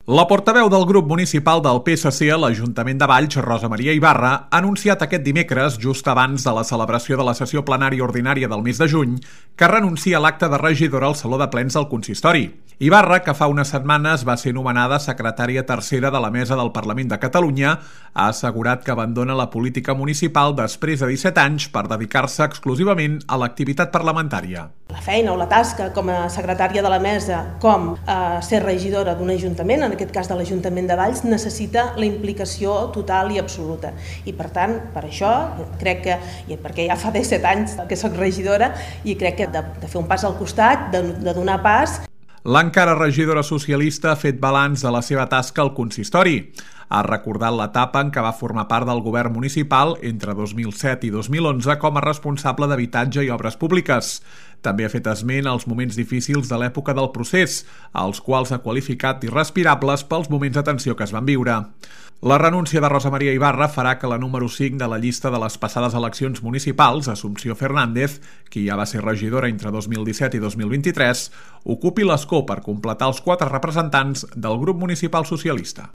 La portaveu del grup municipal del PSC a l'Ajuntament de Valls, Rosa Maria Ibarra, ha anunciat aquest dimecres, just abans de la celebració de la sessió plenària ordinària del mes de juny, que renuncia a l'acte de regidora al Saló de Plens del Consistori. Ibarra, que fa unes setmanes va ser nomenada secretària tercera de la Mesa del Parlament de Catalunya, ha assegurat que abandona la política municipal després de 17 anys per dedicar-se exclusivament a l'activitat parlamentària. La feina o la tasca com a secretària de la Mesa, com ser regidora d'un ajuntament, en aquest cas de l'Ajuntament de Valls, necessita la implicació total i absoluta. I per tant, per això, crec que, perquè ja fa 17 anys que soc regidora, i crec que de fer un pas al costat, de donar pas. L'encara regidora socialista ha fet balanç de la seva tasca al consistori. Ha recordat l'etapa en què va formar part del govern municipal entre 2007 i 2011 com a responsable d'habitatge i obres públiques. També ha fet esment als moments difícils de l'època del procés, als quals ha qualificat d'irrespirables pels moments de tensió que es van viure. La renúncia de Rosa Maria Ibarra farà que la número 5 de la llista de les passades eleccions municipals, Assumpció Fernández, qui ja va ser regidora entre 2017 i 2023, ocupi l'escó per completar els 4 representants del grup municipal socialista.